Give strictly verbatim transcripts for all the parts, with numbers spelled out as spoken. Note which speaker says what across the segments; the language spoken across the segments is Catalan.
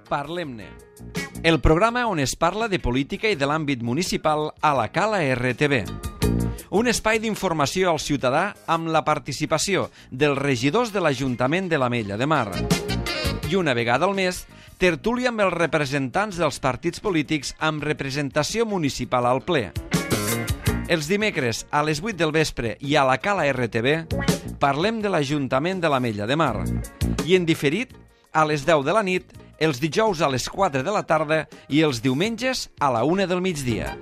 Speaker 1: Parlem-ne, el programa on es parla de política i de l'àmbit municipal a la Cala R T V. Un espai d'informació al ciutadà amb la participació dels regidors de l'Ajuntament de l'Ametlla de Mar. I una vegada al mes, tertúlia amb els representants dels partits polítics amb representació municipal al ple. Els dimecres a les vuit del vespre i a la Cala R T V parlem de l'Ajuntament de l'Ametlla de Mar. I en diferit, a les deu de la nit, els dijous a les quatre de la tarda i els diumenges a la una del migdia.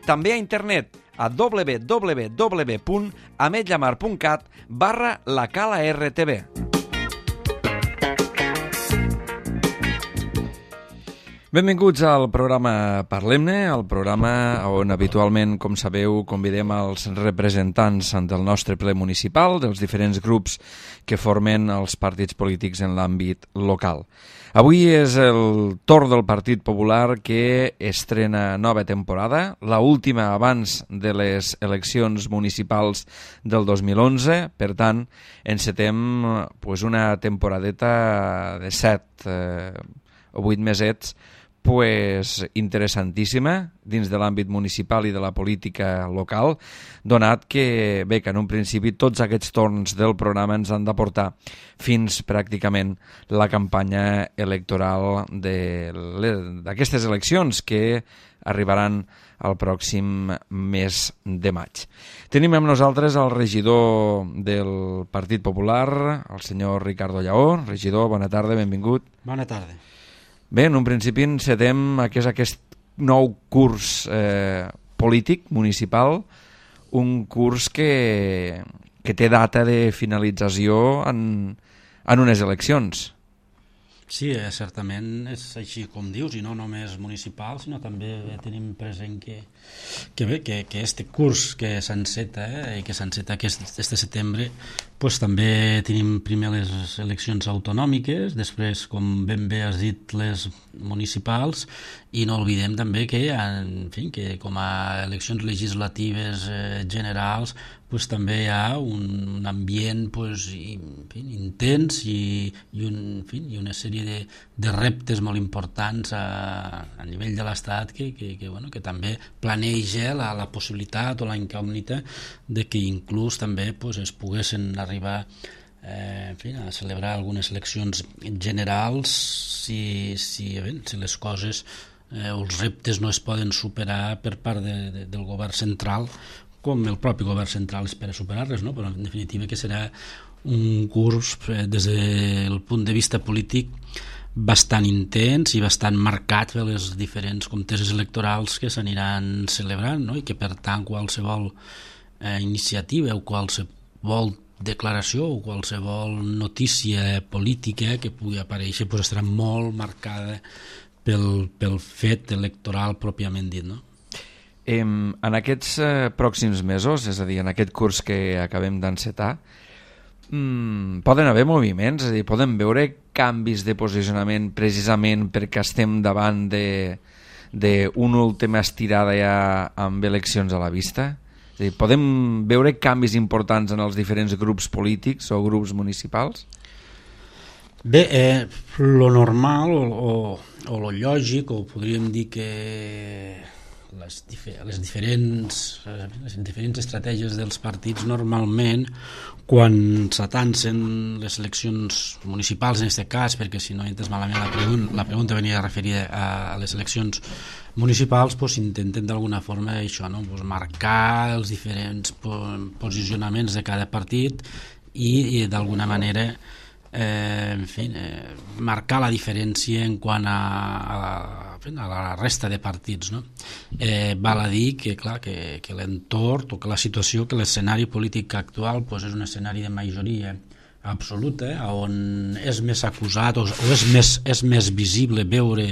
Speaker 1: També a internet a w w w punt ametllamar punt cat barra la Cala R T V. Benvinguts al programa Parlem-ne, el programa on habitualment, com sabeu, convidem els representants del nostre ple municipal, dels diferents grups que formen els partits polítics en l'àmbit local. Avui és el torn del Partit Popular que estrena nova temporada, la última abans de les eleccions municipals del dos mil onze, per tant, encetem pues, una temporadeta de set eh, o vuit mesets pues, interessantíssima dins de l'àmbit municipal i de la política local, donat que, bé, que en un principi tots aquests torns del programa ens han de portar fins pràcticament la campanya electoral d'aquestes eleccions que arribaran el pròxim mes de maig. Tenim amb nosaltres el regidor del Partit Popular, el senyor Ricardo Lleó. Regidor, bona tarda, benvingut.
Speaker 2: Bona tarda.
Speaker 1: Bé, en un principi encetem aquest, aquest nou curs eh, polític municipal, un curs que, que té data de finalització en, en unes eleccions.
Speaker 2: Sí, eh, certament és així com dius, i no només municipal, sinó també tenim present que, que bé, que, que este curs que s'enceta eh, i que s'enceta aquest, este setembre, pues, també tenim primer les eleccions autonòmiques, després, com ben bé has dit, les municipals, i no oblidem també que, en fi, que com a eleccions legislatives eh, generals, pues, també hi ha un, un ambient pues, i, en fi, intens i, i, un, en fi, i una sèrie de, de reptes molt importants a, a nivell de l'Estat que, que, que, bueno, que també planeja la, la possibilitat o la incògnita de que inclús també pues, es poguessin arribar eh, en fi, a celebrar algunes eleccions generals si, si, bé, si les coses eh, o els reptes no es poden superar per part de, de, del govern central, com el propi govern central espera superar-les, no? Però en definitiva que serà un curs eh, des del punt de vista polític bastant intens i bastant marcat per les diferents conteses electorals que s'aniran celebrant, no? I que per tant qualsevol eh, iniciativa o qualsevol declaració o qualsevol notícia política que pugui aparèixer pues, estarà molt marcada pel, pel fet electoral pròpiament dit, no?
Speaker 1: En aquests eh, pròxims mesos, és a dir, en aquest curs que acabem d'encetar, mmm, poden haver moviments, és a dir, poden veure canvis de posicionament precisament perquè estem davant d'una última estirada ja amb eleccions a la vista? És a dir, podem veure canvis importants en els diferents grups polítics o grups municipals?
Speaker 2: Bé, eh, lo normal o, o, o lo lògic, o podríem dir que les, difer les, diferents, les diferents estratègies dels partits normalment quan s'atancen les eleccions municipals en aquest cas, perquè si no entes malament la, pregun la pregunta venia referida a, a les eleccions municipals, pues, intenten d'alguna forma això, no? Pues, marcar els diferents po posicionaments de cada partit i, i d'alguna manera Eh, en fi, eh, marcar la diferència en quant a, a, a la resta de partits, no? Eh, val a dir que, clar, que, que l'entorn o que la situació, que l'escenari polític actual pues, és un escenari de majoria absoluta, on és més acusat o, o és, més, és més visible veure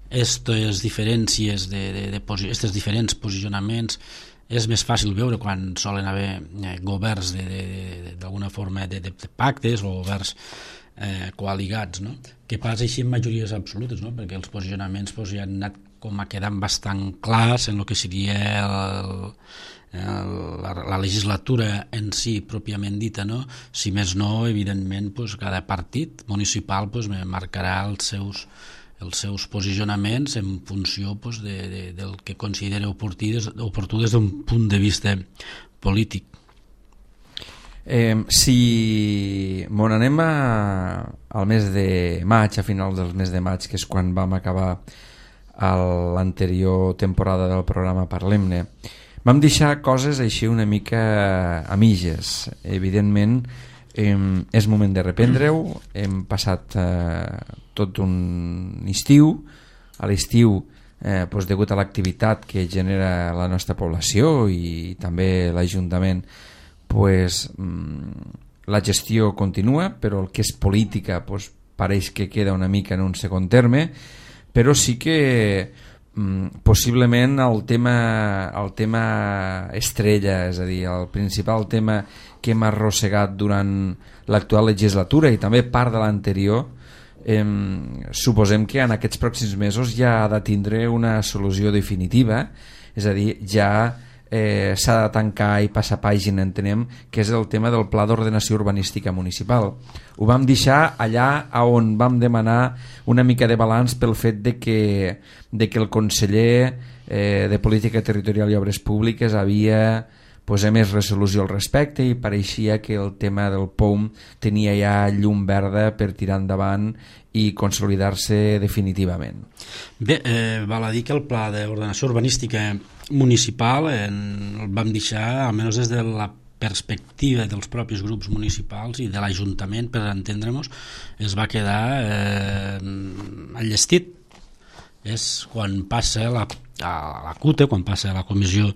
Speaker 2: aquestes diferències de, de, de posi estos diferents posicionaments. És més fàcil veure quan solen haver eh, governs d'alguna forma de, de, de pactes o governs eh, coaligats, no? Que passa així en majories absolutes, no? Perquè els posicionaments pues, ja han anat com a quedant bastant clars en el que seria el, el, la, la legislatura en si pròpiament dita, no? Si més no, evidentment, pues, cada partit municipal pues, marcarà els seus, els seus posicionaments en funció pues, de, de, del que considera oportú des, oportú des d'un punt de vista polític.
Speaker 1: Eh, si mon anem a, al mes de maig, a finals del mes de maig, que és quan vam acabar l'anterior temporada del programa Parlem-ne, vam deixar coses així una mica a mitges. Evidentment, eh, és moment de reprendre-ho. Hem passat eh, tot un estiu. A l'estiu, eh, doncs, degut a l'activitat que genera la nostra població i també l'Ajuntament, pues, la gestió continua, però el que és política pues, pareix que queda una mica en un segon terme, però sí que mm, possiblement el tema, el tema estrella, és a dir, el principal tema que hem arrossegat durant l'actual legislatura i també part de l'anterior, eh, suposem que en aquests pròxims mesos ja ha de tindre una solució definitiva, és a dir, ja Eh, s'ha de tancar i passar pàgina, entenem que és el tema del Pla d'Ordenació Urbanística Municipal. Ho vam deixar allà on vam demanar una mica de balanç pel fet de que, de que el conseller eh, de Política Territorial i Obres Públiques havia pues, emès resolució al respecte i pareixia que el tema del P O U M tenia ja llum verda per tirar endavant i consolidar-se definitivament.
Speaker 2: Bé, eh, val a dir que el Pla d'Ordenació Urbanística Municipal en, el vam deixar, almenys des de la perspectiva dels propis grups municipals i de l'Ajuntament, per entendre-nos, es va quedar eh, enllestit. És quan passa la, a la C U T E, quan passa a la Comissió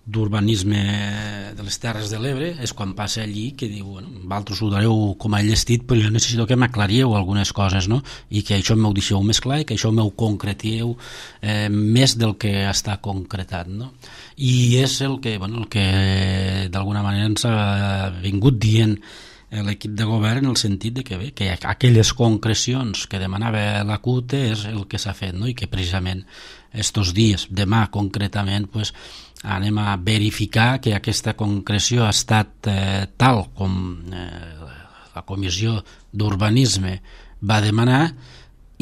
Speaker 2: d'Urbanisme de les Terres de l'Ebre, és quan passa allí que diu, bueno, vosaltres ho dareu com a llestit, però jo necessito que m'aclarieu algunes coses, no? I que això m'ho deixeu més clar i que això m'ho concretieu eh, més del que està concretat, no? I és el que, bueno, el que d'alguna manera ens ha vingut dient l'equip de govern, en el sentit de que, bé, que aquelles concrecions que demanava la C U T E és el que s'ha fet, no? I que precisament estos dies, demà concretament, pues, anem a verificar que aquesta concreció ha estat eh, tal com eh, la Comissió d'Urbanisme va demanar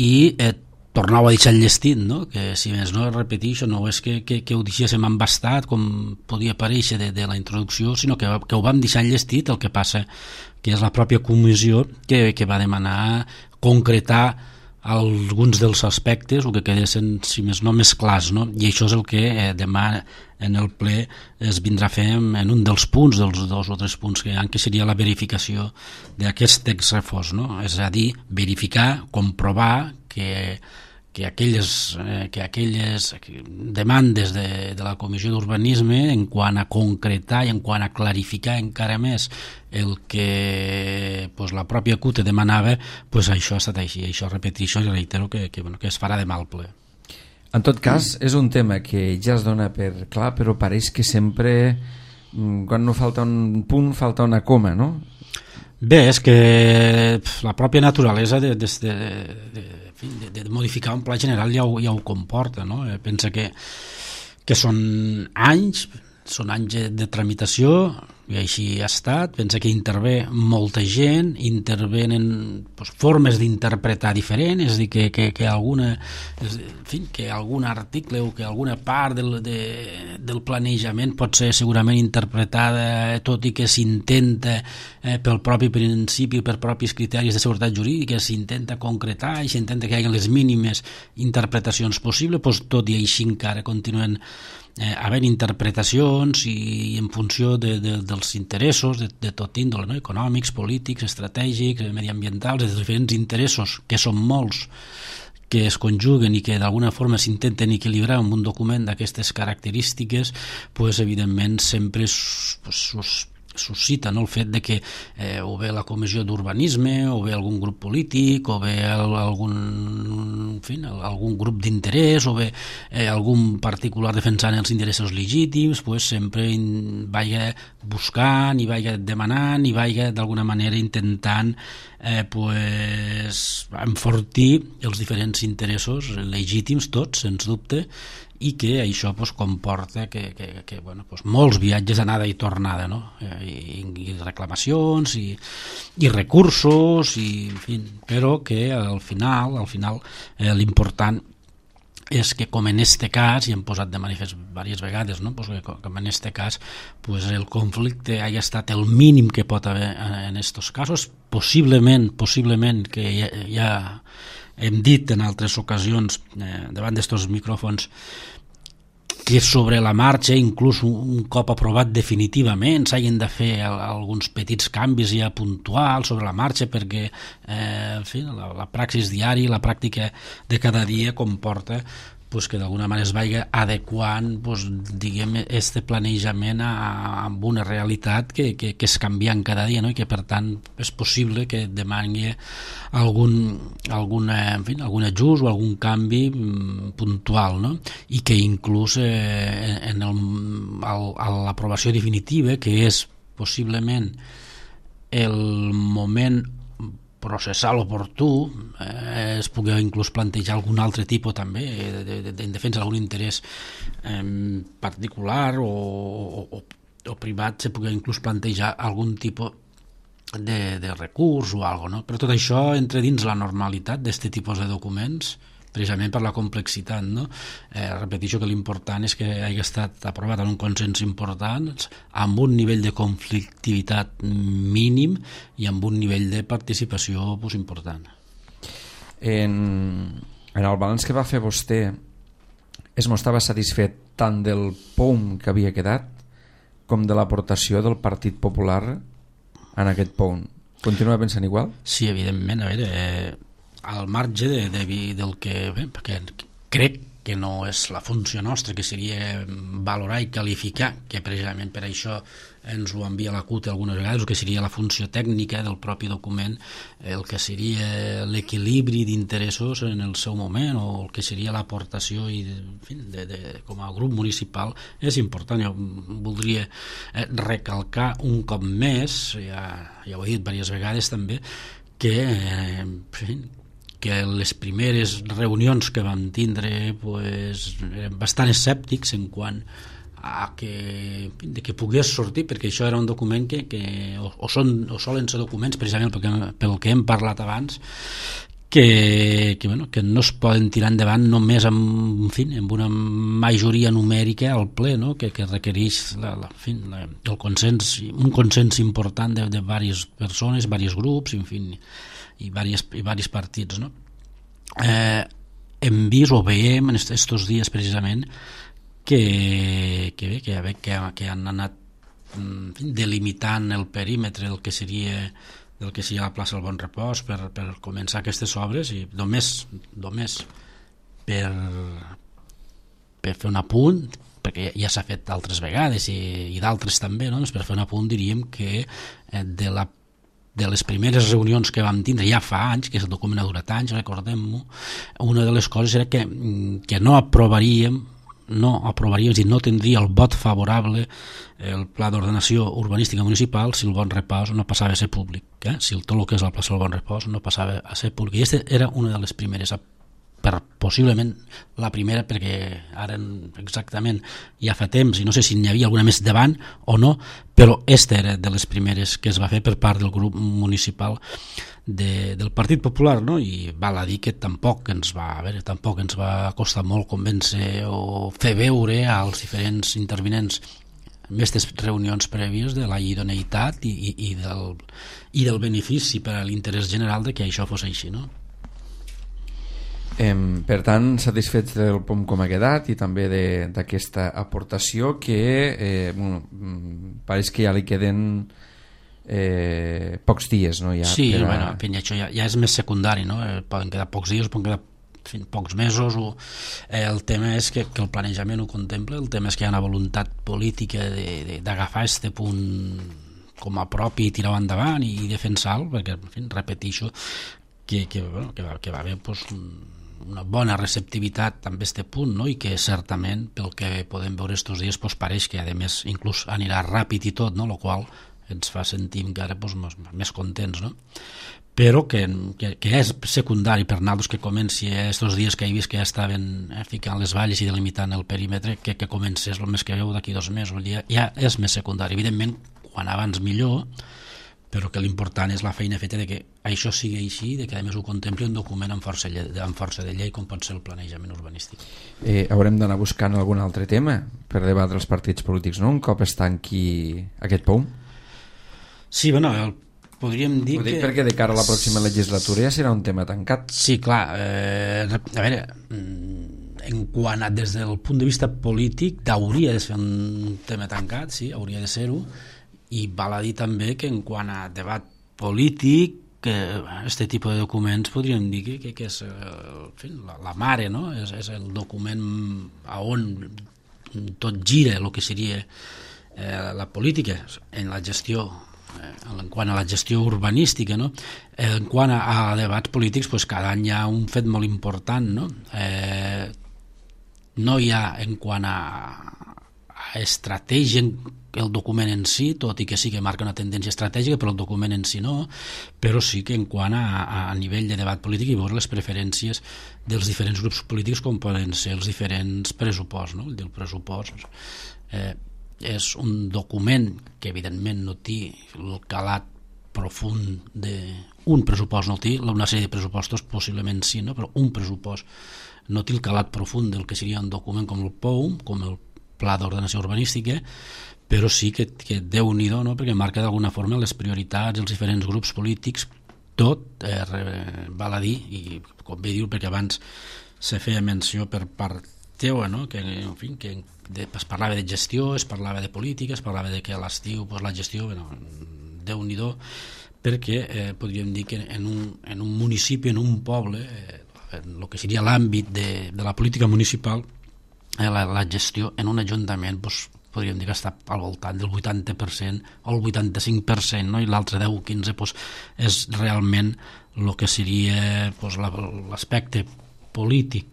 Speaker 2: i eh, tornau a deixar enllestit, no? Que si més no, repeteixo, no és que, que, que ho deixéssim embastat com podia aparèixer de, de la introducció, sinó que, que ho vam deixar enllestit. El que passa que és la pròpia comissió que, que va demanar concretar alguns dels aspectes o que quedessin, si més no, més clars, no? I això és el que eh, demà en el ple es vindrà a fer en un dels punts, dels dos o tres punts que hi ha, que seria la verificació d'aquest text refós, no? És a dir, verificar, comprovar que, que, aquelles, eh, que aquelles demandes de, de la Comissió d'Urbanisme en quant a concretar i en quant a clarificar encara més el que pues, la pròpia C U T E demanava, pues, això ha estat així. Això repeteixo i reitero que, que, bueno, que es farà demà al ple.
Speaker 1: En tot cas, és un tema que ja es dona per clar, però pareix que sempre, quan no falta un punt, falta una coma, no?
Speaker 2: Bé, és que la pròpia naturalesa de, de, de, de, de modificar un pla general ja ho, ja ho comporta, no? Pensa que, que són anys, són anys de tramitació, i així ha estat. Pensa que intervé molta gent, intervenen pues, formes d'interpretar diferents, és a dir, que, que, que, alguna, en fi, que algun article o que alguna part del, de, del planejament pot ser segurament interpretada, tot i que s'intenta eh, pel propi principi, per propis criteris de seguretat jurídica, s'intenta concretar i s'intenta que hi hagi les mínimes interpretacions possibles, pues, tot i així encara continuen Eh, havent interpretacions i, i en funció de, de, dels interessos de, de tot índole, no? Econòmics, polítics, estratègics, mediambientals, de diferents interessos, que són molts, que es conjuguen i que d'alguna forma s'intenten equilibrar amb un document d'aquestes característiques, pues, evidentment sempre pues, suscita, no? El fet de que eh, o bé la Comissió d'Urbanisme o bé algun grup polític o bé algun, en fi, algun grup d'interès o bé eh, algun particular defensant els interessos legítims, pues, sempre in, vaya buscant i vaya demanant i vaya d'alguna manera intentant eh, pues, enfortir els diferents interessos legítims, tots, sens dubte, i que això pues, comporta que, que, que bueno, pues, molts viatges d'anada i tornada, no? I, i reclamacions i, i recursos i, en fi, però que al final, al final eh, l'important és que com en este cas, i hem posat de manifest diverses vegades, no? Pues que com en este cas pues el conflicte hagi estat el mínim que pot haver en estos casos, possiblement, possiblement que ja, ja hem dit en altres ocasions eh, davant d'estos micròfons que sobre la marxa, inclús un cop aprovat definitivament, s'hagin de fer alguns petits canvis ja puntuals sobre la marxa perquè eh, en fi, la, la praxis diària, la pràctica de cada dia comporta pues, que d'alguna manera es vagi adequant pues, diguem, este planejament a, a una realitat que, que, que és canviant cada dia, no? I que per tant és possible que demani algun, algun, en fi, algun ajust o algun canvi mm, puntual, no? I que inclús eh, en l'aprovació definitiva, que és possiblement el moment processal oportú, eh, es pugui inclús plantejar algun altre tipus també de, de, de, en defensa d'algun interès eh, particular o, o, o privat, se pugui inclús plantejar algun tipus de, de recurs o alguna cosa, no? Però tot això entra dins la normalitat d'aquest tipus de documents, precisament per la complexitat, no? Eh, repeteixo que l'important és que hagi estat aprovat en un consens important, amb un nivell de conflictivitat mínim i amb un nivell de participació pues, important.
Speaker 1: En, en el balanç que va fer vostè, es mostrava satisfet tant del P O M que havia quedat com de l'aportació del Partit Popular en aquest P O M. Continua pensant igual?
Speaker 2: Sí, evidentment. A veure, eh, al marge de, de, del que bé, perquè crec que no és la funció nostra, que seria valorar i qualificar, que precisament per això ens ho envia la C U T algunes vegades, el que seria la funció tècnica del propi document, el que seria l'equilibri d'interessos en el seu moment o el que seria l'aportació i, en fi, de, de, com a grup municipal és important. Jo voldria recalcar un cop més, ja, ja ho he dit diverses vegades també, que eh, en fi, que les primeres reunions que vam tindre pues, eren bastant escèptics en quant a que, de que pogués sortir, perquè això era un document que, que o, o, són, o solen ser documents precisament pel que, pel que hem parlat abans que, que, bueno, que no es poden tirar endavant només amb, en fi, amb una majoria numèrica al ple, no? que, que requereix la, la, en fi, la, el consens, un consens important de, de diverses persones, diversos grups, en fi, i diversos, i diversos partits, no? Eh, hem vist o veiem en estos dies precisament que, que, bé, que, que, que han anat en fi, delimitant el perímetre del que seria del que seria la plaça del Bon Repòs per, per començar aquestes obres i només, només per, per fer un apunt, perquè ja s'ha fet d'altres vegades i, i d'altres també, no? Per fer un apunt diríem que de la de les primeres reunions que vam tindre ja fa anys, que el document ha durat anys, recordem-ho, una de les coses era que, que no aprovaríem no aprovaríem, és a dir, no tindria el vot favorable el pla d'ordenació urbanística municipal si el Bon Repòs no passava a ser públic, eh? Si el tot el que és la plaça del Bon Repòs no passava a ser públic. I aquesta era una de les primeres, per possiblement la primera, perquè ara exactament ja fa temps i no sé si n'hi havia alguna més davant o no, però aquesta era de les primeres que es va fer per part del grup municipal de, del Partit Popular, no? I val a dir que tampoc ens va, a veure, tampoc ens va costar molt convèncer o fer veure als diferents intervinents en aquestes reunions prèvies de la idoneïtat i, i, i, del, i del benefici per a l'interès general de que això fos així, no?
Speaker 1: Eh, per tant, satisfets del P O M com ha quedat i també d'aquesta aportació que eh, bueno, pareix que ja li queden eh, pocs dies, no? Ja
Speaker 2: sí,
Speaker 1: a...
Speaker 2: bueno, en fi, això ja, ja és més secundari, no? Eh, poden quedar pocs dies, poden quedar en fi, pocs mesos o, eh, el tema és que, que el planejament ho contempla, el tema és que hi ha una voluntat política d'agafar aquest punt com a propi i tirar-ho endavant i, i defensar-lo, perquè, en fi, repeteixo que, que, bueno, que, va, que va haver pues, un una bona receptivitat amb aquest punt, no? I que certament pel que podem veure estos dies pues, pareix que a més inclús anirà ràpid i tot, no? El qual ens fa sentir encara pues, més, més contents, no? però que, que, que és secundari per nosaltres que comenci aquests dies que he vist que ja estaven eh, ficant les valles i delimitant el perímetre, que, que comencés el mes que veu d'aquí dos mesos, ja, ja és més secundari. Evidentment, quan abans millor, però que l'important és la feina feta de que això sigui així, de que a més ho contempli un document amb força, lle amb força de llei com pot ser el planejament urbanístic.
Speaker 1: Eh, haurem d'anar buscant algun altre tema per debatre els partits polítics, no? Un cop es tanqui aquest P O U?
Speaker 2: Sí, bueno, el, podríem dir
Speaker 1: Ho dic
Speaker 2: que...
Speaker 1: perquè de cara a la pròxima legislatura ja serà un tema tancat.
Speaker 2: Sí, clar, eh, a veure, en quant a des del punt de vista polític hauria de ser un tema tancat, sí, hauria de ser-ho, i val a dir també que en quant a debat polític, que aquest tipus de documents podríem dir que, que, que és en fi, la, la mare, no? És, és el document a on tot gira el que seria eh, la política en la gestió, eh, en quant a la gestió urbanística, no? En quant a, a debats polítics, pues, cada any hi ha un fet molt important, no? Eh, no hi ha en quant a, a estratègia el document en si, tot i que sí que marca una tendència estratègica, però el document en si no, però sí que en quant a, a nivell de debat polític i veure les preferències dels diferents grups polítics com poden ser els diferents pressuposts, no? El del pressupost eh, és un document que evidentment no té el calat profund d'un pressupost, no té una sèrie de pressupostos possiblement sí, no? Però un pressupost no té el calat profund del que seria un document com el P O U, com el Pla d'Ordenació Urbanística, però sí que, que Déu-n'hi-do, no? Perquè marca d'alguna forma les prioritats dels diferents grups polítics, tot eh, val a dir, i com bé diu, perquè abans se feia menció per part teua, no? Que, en fi, que de, es parlava de gestió, es parlava de política, es parlava de que a l'estiu pues, la gestió, bueno, Déu-n'hi-do, perquè eh, podríem dir que en un, en un municipi, en un poble, eh, en el que seria l'àmbit de, de la política municipal, eh, la, la gestió en un ajuntament pues, podríem dir que està al voltant del vuitanta per cent o el vuitanta-cinc per cent, no? I l'altre deu o quinze pues, és realment el que seria pues, l'aspecte polític.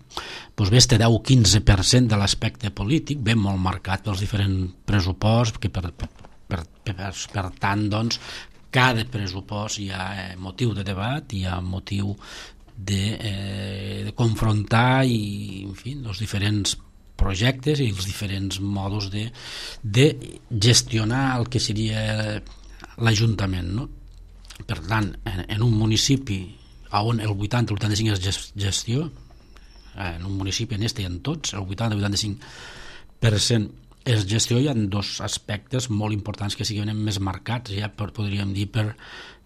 Speaker 2: Pues bé, este deu o quinze per cent de l'aspecte polític ve molt marcat pels diferents pressuposts, que per, per, per, per, per tant, doncs, cada pressupost hi ha eh, motiu de debat, hi ha motiu de, eh, de confrontar i, en fi, els diferents projectes i els diferents modes de, de gestionar el que seria l'Ajuntament, no? Per tant, en, en un municipi on el vuitanta o el vuitanta-cinc és gestió, en un municipi en este i en tots, el vuitanta o vuitanta-cinc per cent és gestió, hi ha dos aspectes molt importants que siguin més marcats, ja per, podríem dir per,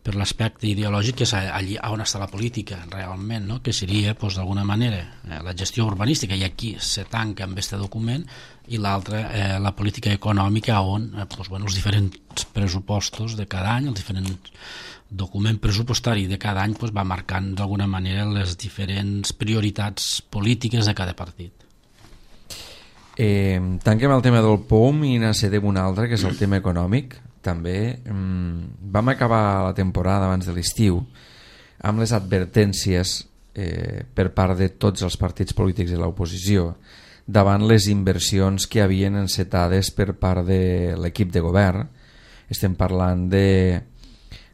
Speaker 2: per l'aspecte ideològic, que és allí on està la política realment, no? Que seria pues, d'alguna manera eh, la gestió urbanística, i aquí se tanca amb aquest document, i l'altre eh, la política econòmica, on eh, pues, bueno, els diferents pressupostos de cada any, el diferent document pressupostari de cada any pues, va marcant d'alguna manera les diferents prioritats polítiques de cada partit.
Speaker 1: Eh, tanquem el tema del P O M i n'acedem un altre, que és el tema econòmic. També mm, vam acabar la temporada abans de l'estiu amb les advertències eh, per part de tots els partits polítics de l'oposició davant les inversions que havien encetades per part de l'equip de govern. Estem parlant de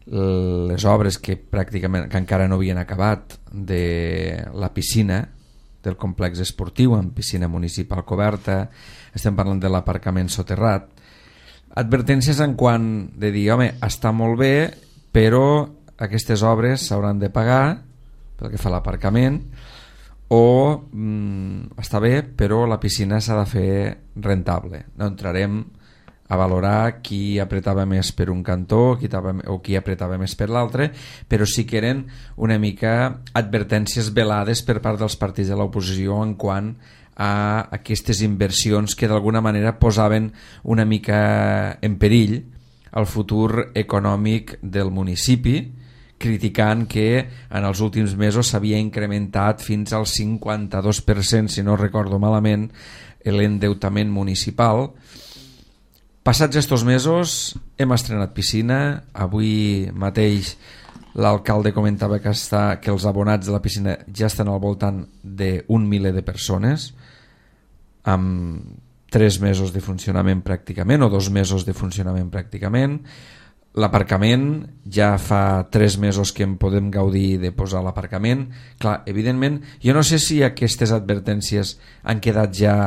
Speaker 1: les obres que pràcticament que encara no havien acabat, de la piscina del complex esportiu amb piscina municipal coberta, estem parlant de l'aparcament soterrat. Advertències en quant de dir, home, està molt bé, però aquestes obres s'hauran de pagar pel que fa a l'aparcament, o mm, està bé, però la piscina s'ha de fer rentable. No entrarem a valorar qui apretava més per un cantó qui tava, o qui apretava més per l'altre, però sí que eren una mica advertències velades per part dels partits de l'oposició en quant a aquestes inversions que d'alguna manera posaven una mica en perill el futur econòmic del municipi, criticant que en els últims mesos s'havia incrementat fins al cinquanta-dos per cent, si no recordo malament, l'endeutament municipal. Passats estos mesos hem estrenat piscina. Avui mateix l'alcalde comentava que, està, que els abonats de la piscina ja estan al voltant d'un miler de persones, amb tres mesos de funcionament pràcticament, o dos mesos de funcionament pràcticament. l'aparcament, ja fa tres mesos que en podem gaudir de posar l'aparcament. Clar, evidentment, jo no sé si aquestes advertències han quedat ja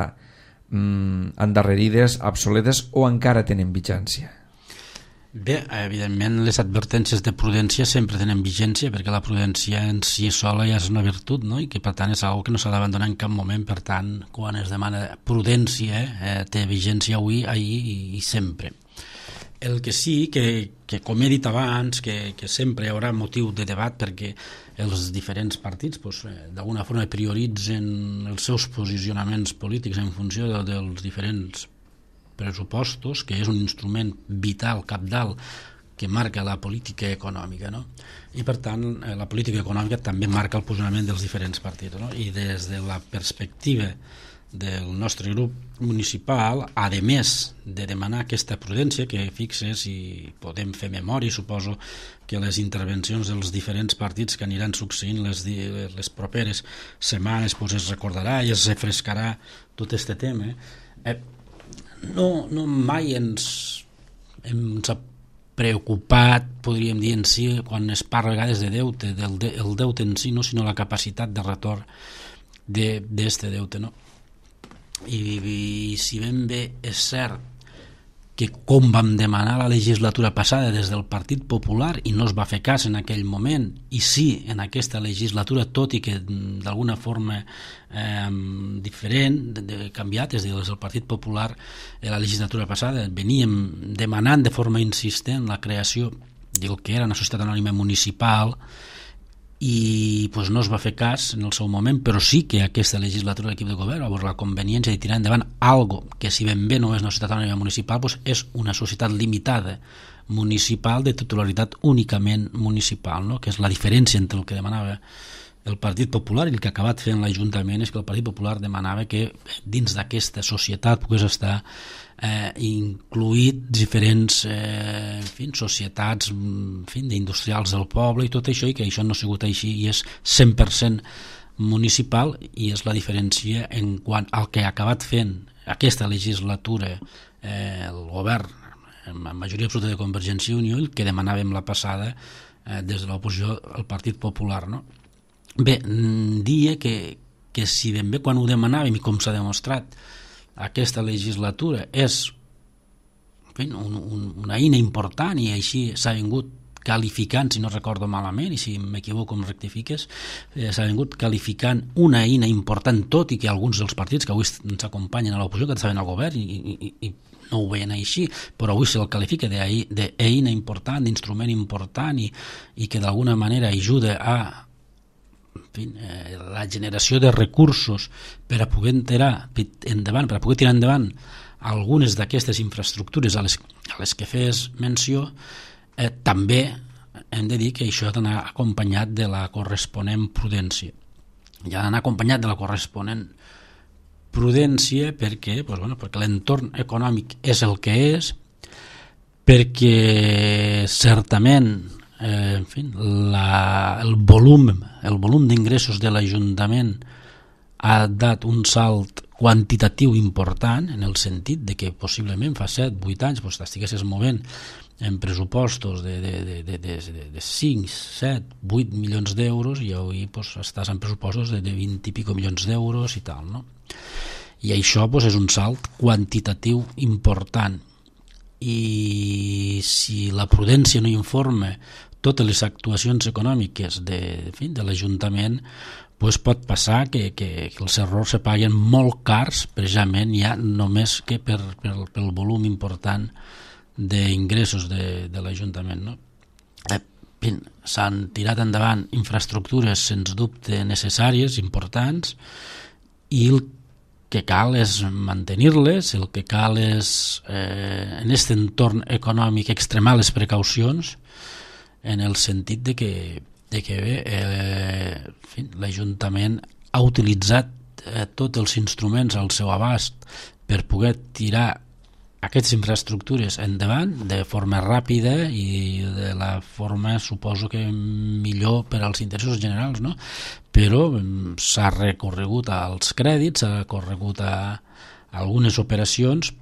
Speaker 1: mm, endarrerides, obsoletes o encara tenen vigència.
Speaker 2: Bé, evidentment les advertències de prudència sempre tenen vigència, perquè la prudència en si sola ja és una virtut, no? I que per tant és una cosa que no s'ha d'abandonar en cap moment. Per tant, quan es demana prudència, eh, té vigència avui, ahir i, i sempre. El que sí, que, que com he dit abans, que, que sempre hi haurà motiu de debat, perquè els diferents partits pues, d'alguna forma prioritzen els seus posicionaments polítics en funció de, dels diferents pressupostos, que és un instrument vital, cabdal, que marca la política econòmica, no? I per tant la política econòmica també marca el posicionament dels diferents partits, no? I des de la perspectiva del nostre grup municipal, a més de demanar aquesta prudència, que fixe, si podem fer memòria, suposo que les intervencions dels diferents partits que aniran succeint les, les properes setmanes pues es recordarà i es refrescarà tot aquest tema. Eh, no, no mai ens, ens ha preocupat, podríem dir en si, quan es parla a vegades de deute, del de, el deute en si, no, sinó la capacitat de retorn d'aquest deute, no? I, i si ben bé és cert que com vam demanar la legislatura passada des del Partit Popular i no es va fer cas en aquell moment, i sí en aquesta legislatura, tot i que d'alguna forma eh, diferent, de, de, canviat, és a dir, des del Partit Popular en la legislatura passada veníem demanant de forma insistent la creació del que era una societat anònima municipal, i pues, no es va fer cas en el seu moment, però sí que aquesta legislatura de l'equip de govern va veure la conveniència de tirar endavant algo que, si ben bé no és una societat anònima municipal, pues, és una societat limitada municipal de titularitat únicament municipal, no? Que és la diferència entre el que demanava el Partit Popular i el que ha acabat fent l'Ajuntament. És que el Partit Popular demanava que dins d'aquesta societat pogués estar eh, incluït diferents eh, en fi, societats en fi, d'industrials del poble i tot això, i que això no ha sigut així i és cent per cent municipal, i és la diferència en quant al que ha acabat fent aquesta legislatura eh, el govern amb majoria absoluta de Convergència i Unió, el que demanàvem la passada eh, des de l'oposició al Partit Popular, no? Bé, dia que, que si ben bé quan ho demanàvem i com s'ha demostrat aquesta legislatura és en fi, un, un, una eina important, i així s'ha vingut qualificant, si no recordo malament, i si m'equivoco em rectifiques, eh, s'ha vingut qualificant una eina important, tot i que alguns dels partits que avui ens acompanyen a l'oposició, que estaven al govern i, i, i no ho veien així, però avui se'l qualifica d'eina important, d'instrument important, i, i que d'alguna manera ajuda a en fi, eh, la generació de recursos per a poder tirar endavant, per a poder tirar endavant algunes d'aquestes infraestructures a les, a les que fes menció, eh, també hem de dir que això ha d'anar acompanyat de la corresponent prudència. I ha d'anar acompanyat de la corresponent prudència perquè, pues, bueno, perquè l'entorn econòmic és el que és, perquè certament Eh, en fi, la, el volum el volum d'ingressos de l'Ajuntament ha dat un salt quantitatiu important, en el sentit de que possiblement fa set vuit anys pues, t'estiguessis movent en pressupostos de, de, de, de, de, de cinc, set, vuit milions d'euros, i avui pues, estàs en pressupostos de, de vint i pico milions d'euros i tal, no? I això pues, és un salt quantitatiu important, i si la prudència no informa totes les actuacions econòmiques de, en fi, de l'Ajuntament, pues pot passar que, que, que els errors se paguen molt cars, precisament ja només que per, per, pel volum important d'ingressos de, de l'Ajuntament, no? Eh, s'han tirat endavant infraestructures sens dubte necessàries, importants, i el que cal és mantenir-les, el que cal és eh, en aquest entorn econòmic extremar les precaucions, en el sentit de que, de que bé, eh, l'Ajuntament ha utilitzat eh, tots els instruments al seu abast per poder tirar aquestes infraestructures endavant de forma ràpida i de la forma, suposo que millor per als interessos generals, no? Però s'ha recorregut als crèdits, s'ha recorregut a algunes operacions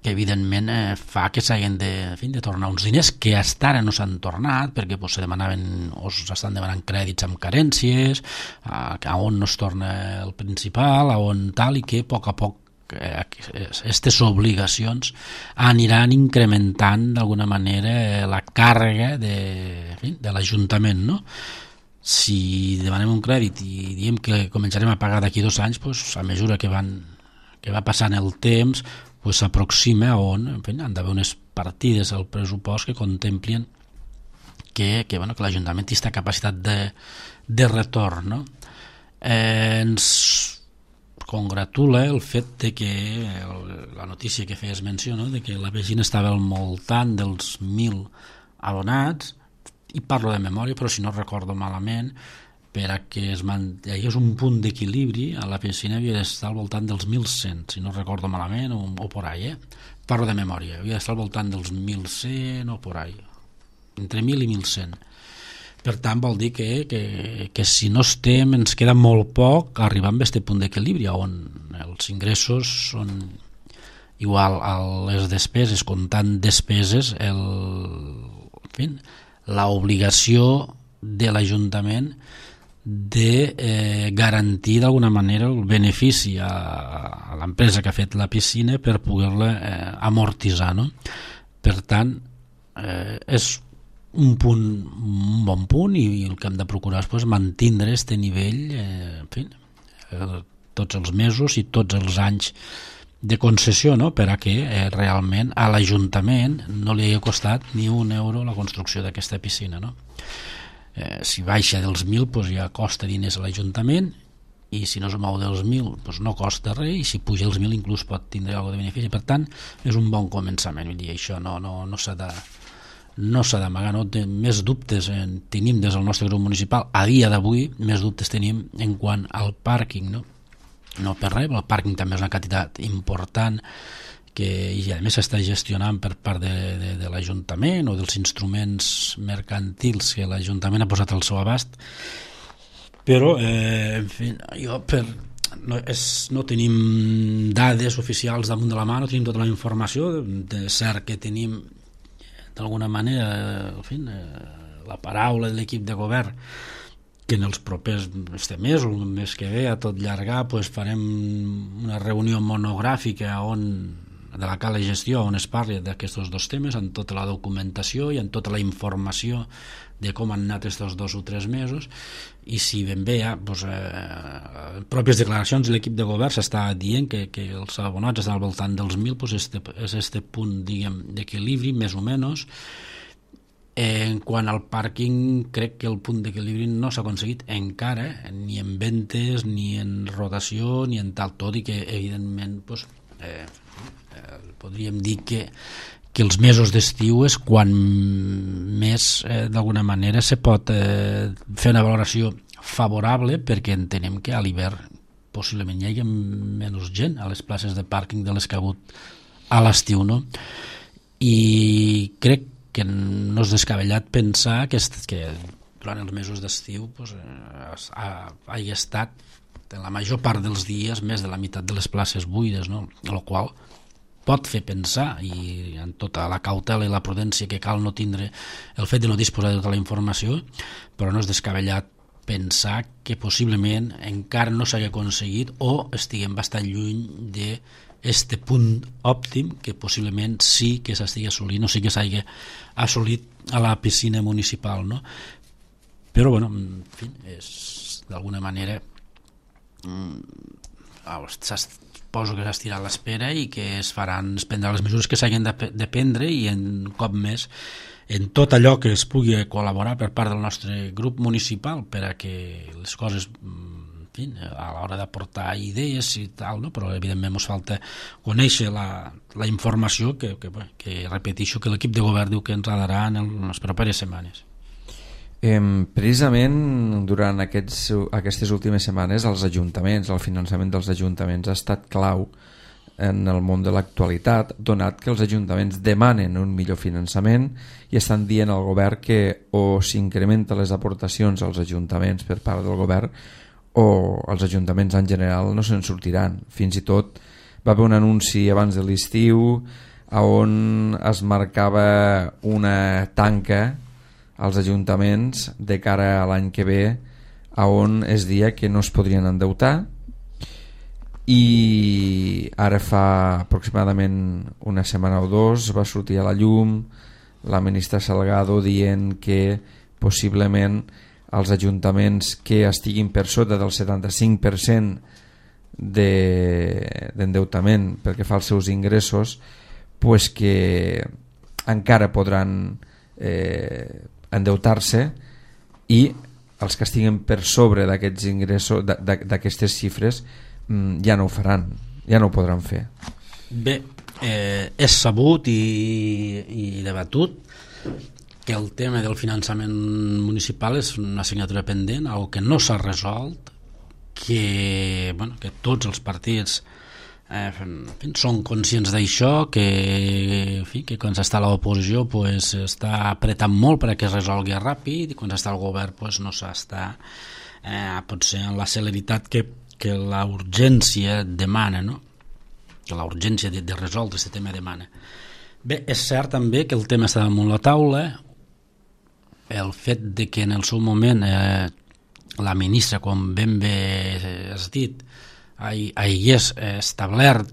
Speaker 2: que evidentment eh, fa que s'hagin de, en fi, de tornar uns diners que hasta ara no s'han tornat perquè pues, se demanaven o s'estan demanant crèdits amb carències, a, a on no es torna el principal, a on tal, i que a poc a poc aquestes obligacions aniran incrementant d'alguna manera la càrrega de, en fi, de l'Ajuntament, no? Si demanem un crèdit i diem que començarem a pagar d'aquí dos anys, pues, a mesura que, van, que va passant el temps, pues, s'aproxima on en fi, han d'haver unes partides al pressupost que contemplin que, que, bueno, que l'Ajuntament té aquesta capacitat de, de retorn, no? Eh, ens congratula el fet de que el, la notícia que feies menció, no? De que la Piscina estava al voltant dels mil abonats, i parlo de memòria, però si no recordo malament, per a que es mantingués un punt d'equilibri, a la Piscina havia d'estar al voltant dels mil cent, si no recordo malament, o, o por ahí, eh? Parlo de memòria, havia d'estar al voltant dels mil cent o por ahí, entre mil i mil cent. Per tant, vol dir que, que, que si no estem, ens queda molt poc arribar a aquest punt d'equilibri, on els ingressos són igual a les despeses, comptant despeses, el, en fi, l'obligació de l'Ajuntament de eh, garantir d'alguna manera el benefici a, a l'empresa que ha fet la piscina per poder-la eh, amortitzar, no? Per tant, eh, és un punt, un bon punt, i, i el que hem de procurar és pues, mantindre aquest nivell eh, en fi, eh, tots els mesos i tots els anys de concessió, no? Per a que eh, realment a l'Ajuntament no li hagi costat ni un euro la construcció d'aquesta piscina, no? Eh, si baixa dels mil pues ja costa diners a l'Ajuntament, i si no es mou dels mil pues no costa res, i si puja els mil inclús pot tindre alguna de benefici. Per tant, és un bon començament, vull dir, això no, no, no s'ha de no s'ha d'amagar, no? Més dubtes en, tenim des del nostre grup municipal a dia d'avui, més dubtes tenim en quant al pàrquing, no? No per res, el pàrquing també és una quantitat important que i a més s'està gestionant per part de, de, de l'Ajuntament o dels instruments mercantils que l'Ajuntament ha posat al seu abast, però eh, en fi, jo per, no, és, no tenim dades oficials damunt de la mà, no tenim tota la informació, de cert que tenim d'alguna manera en fi, la paraula de l'equip de govern que en els propers este mes o el mes que ve a tot llargar pues, farem una reunió monogràfica on de la cala de gestió on es parli d'aquests dos temes amb tota la documentació i amb tota la informació de com han anat aquests dos o tres mesos, i si ben bé ja, doncs, eh, pròpies declaracions l'equip de govern s'està dient que, que els abonats estan al voltant dels mil, doncs este, és este punt d'equilibri més o menys. En quant al pàrquing, crec que el punt d'equilibri no s'ha aconseguit encara, ni en ventes, ni en rotació, ni en tal, tot i que evidentment doncs, eh, eh, podríem dir que, que els mesos d'estiu és quan més eh, d'alguna manera se pot eh, fer una valoració favorable, perquè entenem que a l'hivern possiblement hi hagi menys gent a les places de pàrquing de les que ha hagut a l'estiu, no? I crec que no és descabellat pensar que, que durant els mesos d'estiu pues, ha, hagi estat en la major part dels dies més de la meitat de les places buides, no? El qual pot fer pensar, i amb tota la cautela i la prudència que cal no tindre el fet de no disposar de tota la informació, però no és descabellat pensar que possiblement encara no s'hagi aconseguit o estiguem bastant lluny de este punt òptim que possiblement sí que s'estigui assolint o sí que s'hagi assolit a la piscina municipal, no? Però, bueno, en fi, és d'alguna manera suposo que s'estirà l'espera i que es faran, es prendran les mesures que s'hagin de prendre, i en cop més en tot allò que es pugui col·laborar per part del nostre grup municipal per a que les coses fin, a l'hora d'aportar idees i tal, no? Però evidentment ens falta conèixer la, la informació que, que, que repeteixo que l'equip de govern diu que ens darà en, el, en les properes setmanes.
Speaker 1: Eh, precisament durant aquests, aquestes últimes setmanes els ajuntaments, el finançament dels ajuntaments ha estat clau en el món de l'actualitat, donat que els ajuntaments demanen un millor finançament i estan dient al govern que o s'incrementa les aportacions als ajuntaments per part del govern o els ajuntaments en general no se'n sortiran. Fins i tot va haver un anunci abans de l'estiu on es marcava una tanca als ajuntaments de cara a l'any que ve, on es deia que no es podrien endeutar, i ara fa aproximadament una setmana o dos va sortir a la llum la ministra Salgado dient que possiblement els ajuntaments que estiguin per sota del setanta-cinc per cent d'endeutament de, pel que fa als seus ingressos, pues que encara podran eh, endeutar-se, i els que estiguen per sobre d'aquests ingressos, d'aquestes xifres, ja no ho faran, ja no ho podran fer.
Speaker 2: Bé, eh, és sabut i, i debatut que el tema del finançament municipal és una assignatura pendent, algo que no s'ha resolt, que, bueno, que tots els partits eh, fin, són conscients d'això, que, en fi, que quan s'està a l'oposició pues, està apretant molt perquè es resolgui ràpid, i quan s'està al govern pues, no s'està eh, potser en la celeritat que que la urgència demana, no? Que la urgència de, de resoldre aquest tema demana. Bé, és cert també que el tema està damunt la taula, el fet de que en el seu moment eh, la ministra, com ben bé has dit, hagués establert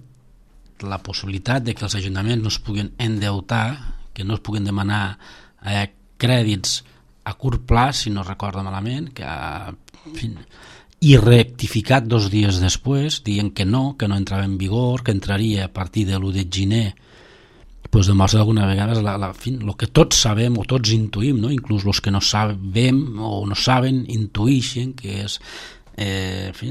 Speaker 2: la possibilitat de que els ajuntaments no es puguin endeutar, que no es puguin demanar eh, crèdits a curt plaç, si no recordo malament, que en fi, i rectificat dos dies després, dient que no, que no entrava en vigor, que entraria a partir de l'u de gener, pues demostra d'alguna vegada la, la, fin, lo que tots sabem o tots intuïm, no? Inclús els que no sabem o no saben intuïxen que és eh, en fi,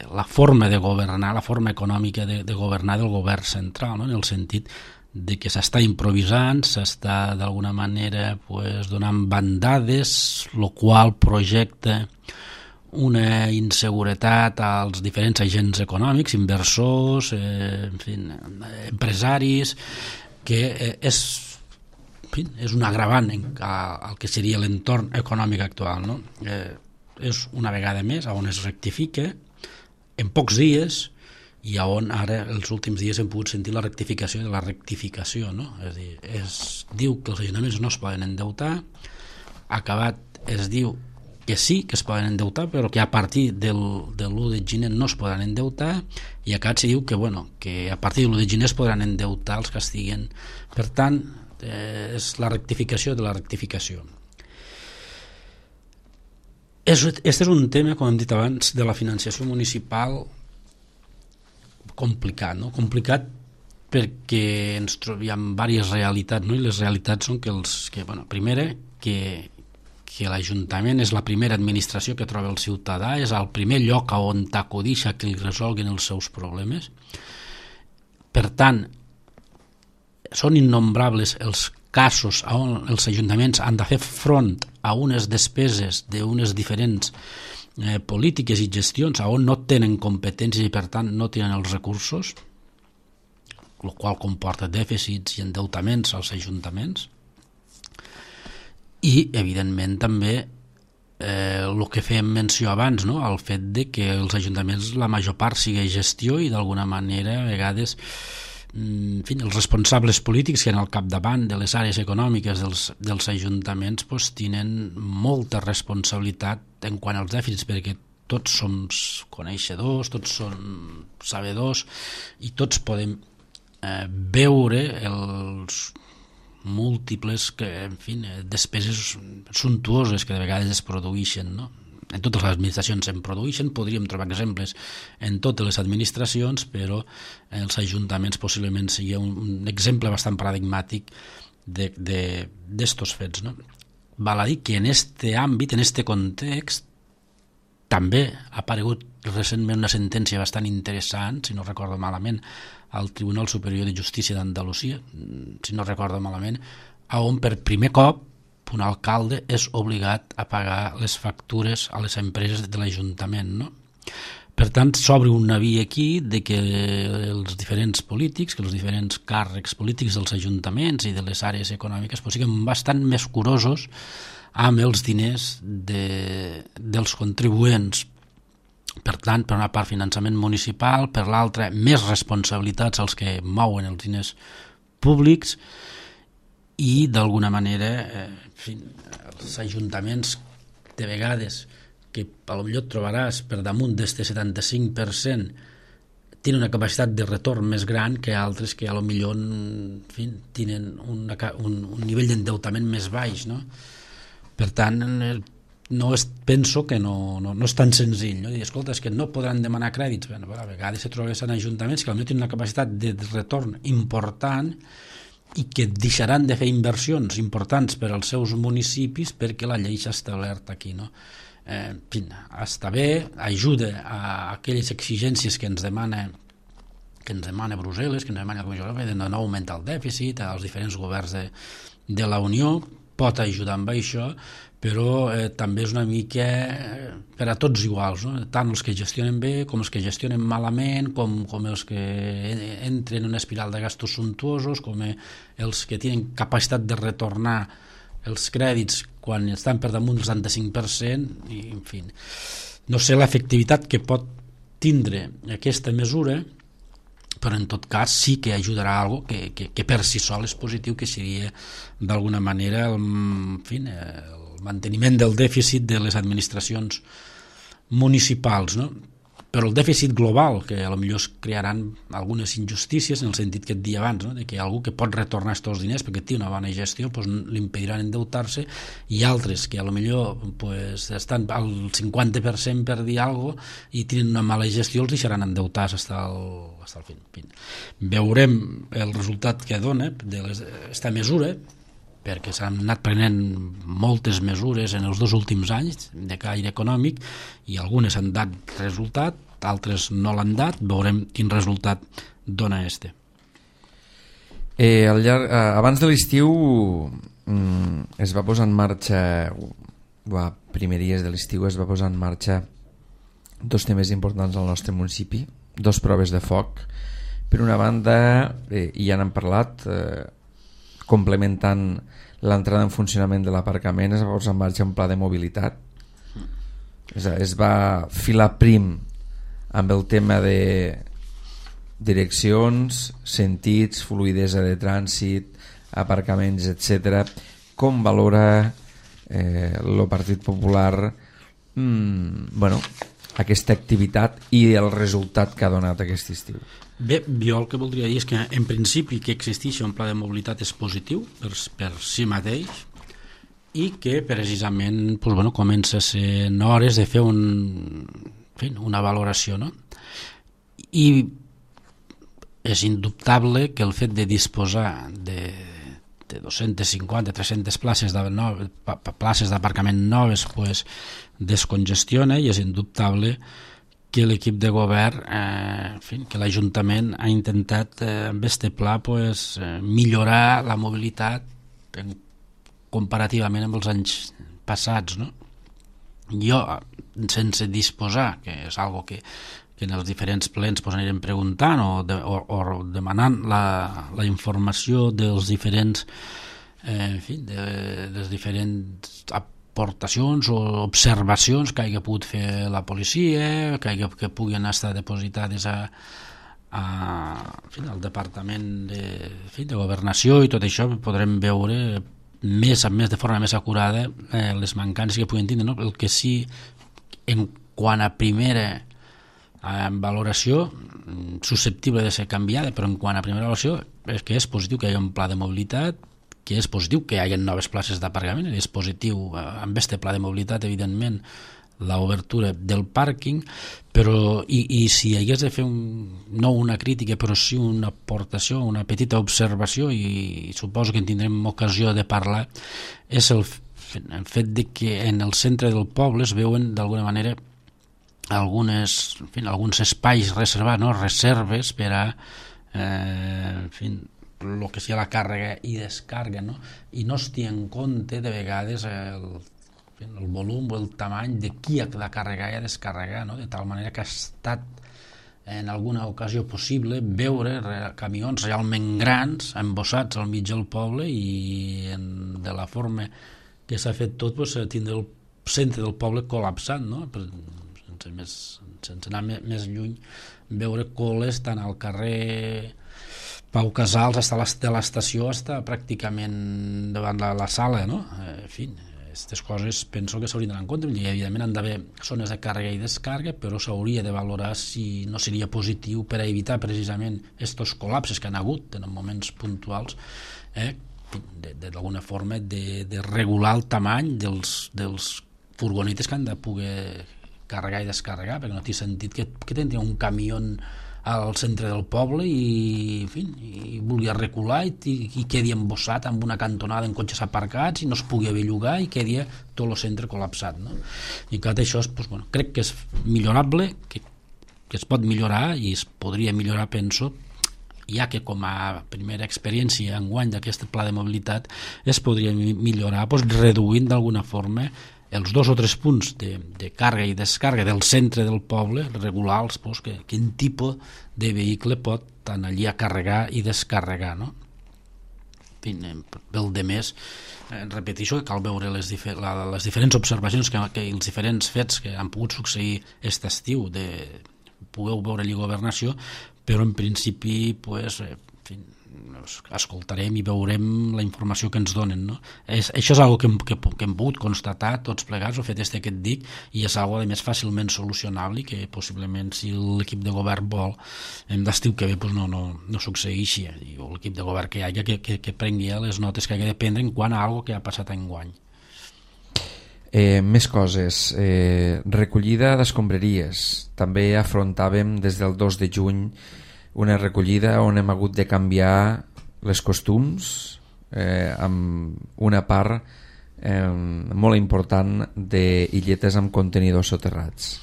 Speaker 2: la forma de governar, la forma econòmica de, de governar del govern central, no? En el sentit de que s'està improvisant, s'està d'alguna manera pues, donant bandades, el qual projecta una inseguretat als diferents agents econòmics, inversors, eh, en fi, empresaris, que eh, és, en fi, és un agravant al que seria l'entorn econòmic actual, no? Eh, és una vegada més on es rectifica en pocs dies, i on ara els últims dies hem pogut sentir la rectificació de la rectificació, no? És a dir, es diu que els ajuntaments no es poden endeutar, acabat es diu que sí que es poden endeutar, però que a partir del, de l'u de gener no es poden endeutar, i acá se diu que, bueno, que a partir de l'u de gener es podran endeutar els que estiguen. Per tant, eh, és la rectificació de la rectificació. Aquest és un tema, com hem dit abans, de la financiació municipal complicat, no? Complicat perquè ens trobem diverses realitats, no? I les realitats són que, els, que bueno, primera, que que l'Ajuntament és la primera administració que troba el ciutadà, és el primer lloc on t'acudix a que li resolguin els seus problemes. Per tant, són innombrables els casos on els ajuntaments han de fer front a unes despeses d'unes diferents eh, polítiques i gestions on no tenen competències i per tant no tenen els recursos, el qual comporta dèficits i endeutaments als ajuntaments. I, evidentment, també eh, el que fèiem menció abans, no? El fet de que els ajuntaments, la major part, sigui gestió i, d'alguna manera, a vegades, en fi, els responsables polítics que en el capdavant de les àrees econòmiques dels, dels ajuntaments pues, tenen molta responsabilitat en quant als dèficits, perquè tots som coneixedors, tots som sabedors i tots podem eh, veure els múltiples que, en fi, despeses suntuoses que de vegades es produeixen, no? En totes les administracions se'n produeixen, podríem trobar exemples en totes les administracions, però els ajuntaments possiblement sigui un, un exemple bastant paradigmàtic d'estos fets, no? Val a dir que en este àmbit, en este context, també ha aparegut recentment una sentència bastant interessant, si no recordo malament, al Tribunal Superior de Justícia d'Andalusia, si no recordo malament, on per primer cop un alcalde és obligat a pagar les factures a les empreses de l'Ajuntament, no? Per tant, s'obre una via aquí de que els diferents polítics, que els diferents càrrecs polítics dels ajuntaments i de les àrees econòmiques pues, siguin bastant més curosos amb els diners de, dels contribuents Per tant, per una part finançament municipal, per l'altra més responsabilitats als que mouen els diners públics i d'alguna manera eh, en fi, els ajuntaments de vegades que potser et trobaràs per damunt d'este setanta-cinc per cent tenen una capacitat de retorn més gran que altres que potser en fi, tenen una, un, un nivell d'endeutament més baix, no? Per tant, no és, penso que no, no, no és tan senzill, no? Dir, escolta, és que no podran demanar crèdits. Bueno, a vegades se troben ajuntaments que potser tenen una capacitat de retorn important i que deixaran de fer inversions importants per als seus municipis perquè la llei s'ha establert aquí, no? Eh, en fi, està bé, ajuda a aquelles exigències que ens demana que ens demana Brussel·les, que ens demana la Comissió Europea de no augmentar el dèficit, als diferents governs de, de la Unió, pot ajudar amb això, però eh, també és una mica eh, per a tots iguals, no? Tant els que gestionen bé com els que gestionen malament, com, com els que entren en una espiral de gastos suntuosos, com els que tenen capacitat de retornar els crèdits quan estan per damunt del setanta-cinc per cent, i en fi, no sé l'efectivitat que pot tindre aquesta mesura, però en tot cas sí que ajudarà a algo que, que, que per si sol és positiu, que seria d'alguna manera el, en fi, el manteniment del dèficit de les administracions municipals, no? Però el dèficit global, que potser es crearan algunes injustícies en el sentit que et dia abans, no? De que algú que pot retornar aquests diners perquè té una bona gestió pues, li impediran endeutar-se, i altres que potser pues, estan al cinquanta per cent per dir alguna cosa i tenen una mala gestió, els deixaran endeutar-se fins al, fins al fin. Veurem el resultat que dona d'aquesta mesura, perquè s'han anat prenent moltes mesures en els dos últims anys de caire econòmic i algunes han dat resultat, altres no l'han dat. Veurem quin resultat dona este.
Speaker 1: Eh, al llarg, eh, abans de l'estiu mm, es va posar en marxa, o a primeries de l'estiu es va posar en marxa dos temes importants al nostre municipi, dos proves de foc. Per una banda, eh, i ja n'han parlat, eh, complementant l'entrada en funcionament de l'aparcament, es va posar en marxa un pla de mobilitat. Es, es va filar prim amb el tema de direccions, sentits, fluidesa de trànsit, aparcaments, etcètera. Com valora eh, el Partit Popular mm, bueno, aquesta activitat i el resultat que ha donat aquest estiu?
Speaker 2: Bé, jo el que voldria dir és que en principi que existeixi un pla de mobilitat és positiu per, per si mateix, i que precisament pues, bueno, comença a ser hores de fer un, en fi, una valoració, no? I és indubtable que el fet de disposar de, de dos-centes cinquanta a tres-centes places de no, places d'aparcament noves pues, descongestiona, i és indubtable que l'equip de govern, eh, en fi, que l'Ajuntament ha intentat eh, amb este pla pues, eh, millorar la mobilitat en, comparativament amb els anys passats, no? Jo, sense disposar, que és algo que, que en els diferents plens pues, anirem preguntant o, de, o, o demanant la, la informació dels diferents eh, en fi, de, dels diferents aportacions o observacions que hagi pogut fer la policia, que, hagi, que puguin estar depositades a, a, en fi, al Departament de, en fi, de Governació, i tot això podrem veure més, més de forma més acurada eh, les mancances que puguin tindre, no? El que sí, en quant a primera eh, valoració, susceptible de ser canviada, però en quant a primera valoració és que és positiu que hi hagi un pla de mobilitat, que és positiu que hi hagi noves places d'aparcament, és positiu eh, amb este pla de mobilitat, evidentment, l'obertura del pàrquing, però i, i si hagués de fer un, no una crítica, però sí una aportació, una petita observació, i, i suposo que en tindrem ocasió de parlar, és el, el fet de que en el centre del poble es veuen d'alguna manera algunes, en fi, alguns espais reservats, no? Reserves per a eh, en fi, el que sigui la càrrega i descàrrega, no? I no es té en compte de vegades el, el volum o el tamany de qui ha de carregar i descarregar, no? De tal manera que ha estat en alguna ocasió possible veure camions realment grans embossats al mig del poble, i en, de la forma que s'ha fet tot pues, tindre el centre del poble col·lapsat, no? sense, més, sense anar més, més lluny, veure coles tant al carrer Pau Casals fins a l'estació, està pràcticament davant la, la sala, no? En fi, aquestes coses penso que s'haurien d'anar en compte. Evidentment han d'haver zones de càrrega i descàrrega, però s'hauria de valorar si no seria positiu per a evitar precisament aquests col·lapses que han hagut en moments puntuals, eh? d'alguna forma de, de regular el tamany dels, dels furgonetes que han de poder carregar i descarregar, perquè no té sentit que, que tindria un camió al centre del poble i, en fi, i vulgui recular i, i quedi embossat amb una cantonada en cotxes aparcats i no es pugui bellugar i quedi tot el centre col·lapsat, no? I clar, això és, doncs, bueno, crec que és millorable, que, que es pot millorar i es podria millorar, penso, ja que com a primera experiència enguany d'aquest pla de mobilitat es podria millorar doncs, reduint d'alguna forma els dos o tres punts de, de càrrega i descàrrega del centre del poble, regular-los, doncs, que, quin tipus de vehicle pot anar allí a carregar i descarregar, no? Pel de més, eh, repeteixo que cal veure les, difer la, les diferents observacions que, que els diferents fets que han pogut succeir aquest estiu, de pugueu veure allí governació, però en principi pues, eh, en fi, escoltarem i veurem la informació que ens donen, no? És, això és una cosa que, que, que hem pogut constatar tots plegats, ho fet este aquest dic, i és una cosa més fàcilment solucionable i que possiblement si l'equip de govern vol d'estiu que ve pues no, no, no succeeixi, o l'equip de govern que hi hagi que, que, que prengui les notes que hagi de prendre en quant a algo que ha passat enguany.
Speaker 1: Eh, més coses, eh, recollida d'escombraries. També afrontàvem des del dos de juny una recollida on hem hagut de canviar les costums eh, amb una part eh, molt important d'illetes amb contenidors soterrats.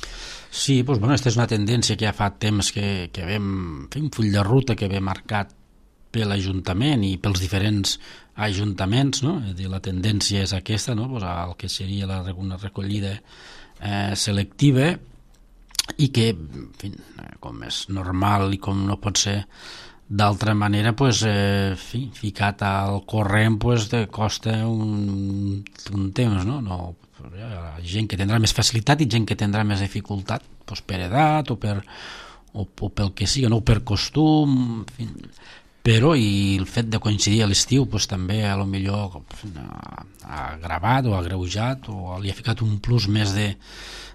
Speaker 2: Sí, doncs, bueno, aquesta és una tendència que ja fa temps que, que vam fer un full de ruta que ve marcat per l'Ajuntament i pels diferents ajuntaments, no? És a dir, la tendència és aquesta, no? Pues el que seria la, una recollida eh, selectiva i que, en fi, com és normal i com no pot ser d'altra manera, pues, eh, fi, ficat al corrent pues, de costa un, un temps, no? No, hi ha gent que tindrà més facilitat i gent que tindrà més dificultat pues, per edat o, per, o, o pel que sigui, no? Per costum, en fi. Però i el fet de coincidir a l'estiu pues, també a lo millor ha, ha agravat o ha agreujat o li ha ficat un plus més de,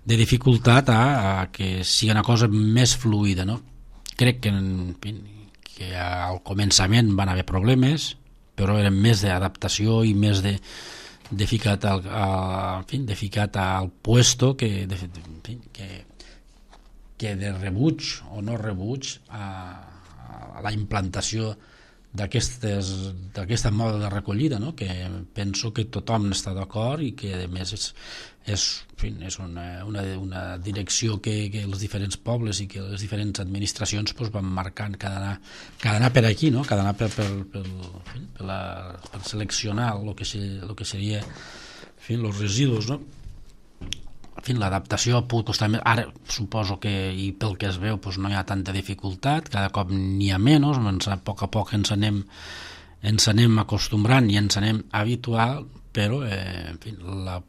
Speaker 2: de dificultat a, a que sigui una cosa més fluida, no? Crec que, en fi, que al començament van haver problemes, però eren més d'adaptació i més de, de ficat al, a, en fi, de ficat al puesto que de, en fi, que, que de rebuig o no rebuig a a la implantació d'aquesta moda de recollida, no? Que penso que tothom està d'acord i que a més és, és, en fi, és una, una, una direcció que, que els diferents pobles i que les diferents administracions pues, van marcant que ha d'anar que ha d'anar per aquí, no? Que ha d'anar per, per, per, per, la, per seleccionar el que, el que seria en fi, els residus, no? En fi, l'adaptació pot costar més. Ara suposo que, i pel que es veu, doncs no hi ha tanta dificultat, cada cop n'hi ha menys, ens, a poc a poc ens anem, ens anem acostumbrant i ens anem habitual, però eh, en fi, la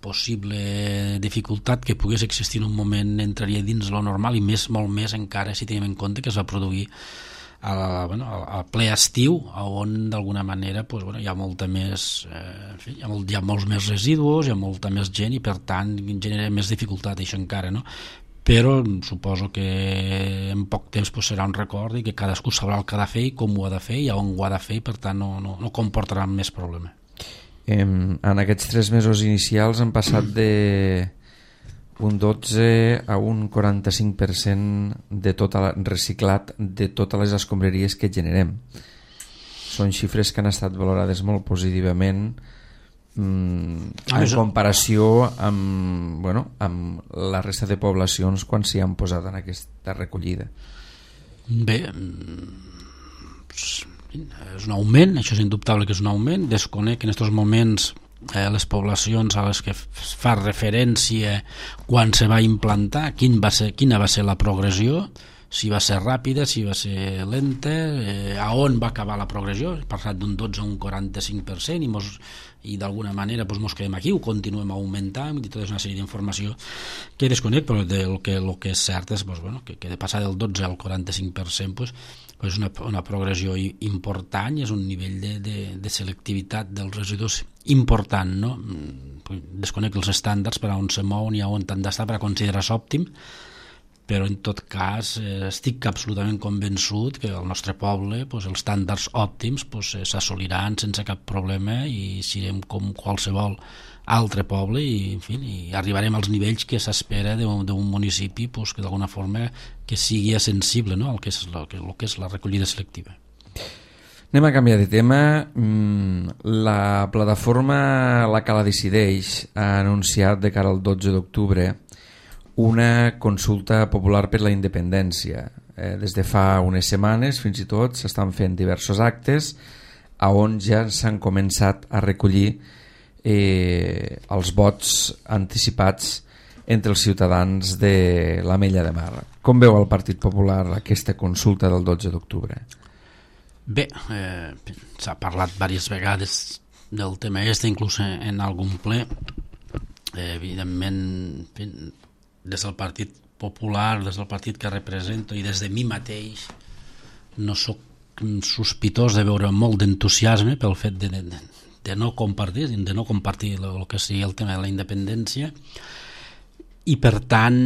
Speaker 2: possible dificultat que pogués existir en un moment entraria dins lo normal i més, molt més encara si tenim en compte que es va produir a, bueno, a ple estiu on d'alguna manera pues, bueno, hi ha molta més eh, en fi, hi, ha molt, hi ha molts més residus, hi ha molta més gent i per tant genera més dificultat això encara, no? Però suposo que en poc temps pues, serà un record i que cadascú sabrà el que ha de fer i com ho ha de fer i on ho ha de fer i per tant no, no, no comportarà més problema.
Speaker 1: Eh, en aquests tres mesos inicials han passat de un dotze a un quaranta-cinc per cent de tot el reciclat de totes les escombraries que generem. Són xifres que han estat valorades molt positivament mm, en comparació amb, bueno, amb la resta de poblacions quan s'hi han posat en aquesta recollida.
Speaker 2: Bé, és un augment, això és indubtable que és un augment. Desconec que en aquests moments Eh, les poblacions a les que es fa referència quan se va implantar, quin va ser, quina va ser la progressió. si va ser ràpida, si va ser lenta, eh, a on va acabar la progressió, ha passat d'un dotze a un quaranta-cinc per cent i, mos, i d'alguna manera doncs, mos quedem aquí, ho continuem augmentant i tota una sèrie d'informació que desconec, però el que, el que és cert és doncs, bueno, que, que de passar del dotze al quaranta-cinc per cent doncs, és una, una progressió important i és un nivell de, de, de selectivitat dels residus important, no? Desconec els estàndards per a on se mouen i a on han d'estar per a considerar-se òptim, però en tot cas eh, estic absolutament convençut que al nostre poble pues, els estàndards òptims pues, s'assoliran sense cap problema i serem com qualsevol altre poble i, en fi, i arribarem als nivells que s'espera d'un municipi pues, que d'alguna forma que sigui sensible, no? al que és, el, que, el que és la recollida selectiva.
Speaker 1: Anem a canviar de tema. La plataforma La Cala Decideix ha anunciat de cara al dotze d'octubre una consulta popular per la independència. Eh, des de fa unes setmanes fins i tot s'estan fent diversos actes a on ja s'han començat a recollir eh, els vots anticipats entre els ciutadans de l'Ametlla de Mar. Com veu el Partit Popular aquesta consulta del dotze d'octubre?
Speaker 2: Bé, eh, s'ha parlat diverses vegades del tema este, inclús en algun ple. Eh, evidentment, des del Partit Popular, des del partit que represento i des de mi mateix no sóc sospitós de veure molt d'entusiasme pel fet de, de, de no compartir de no compartir el que sigui el tema de la independència i per tant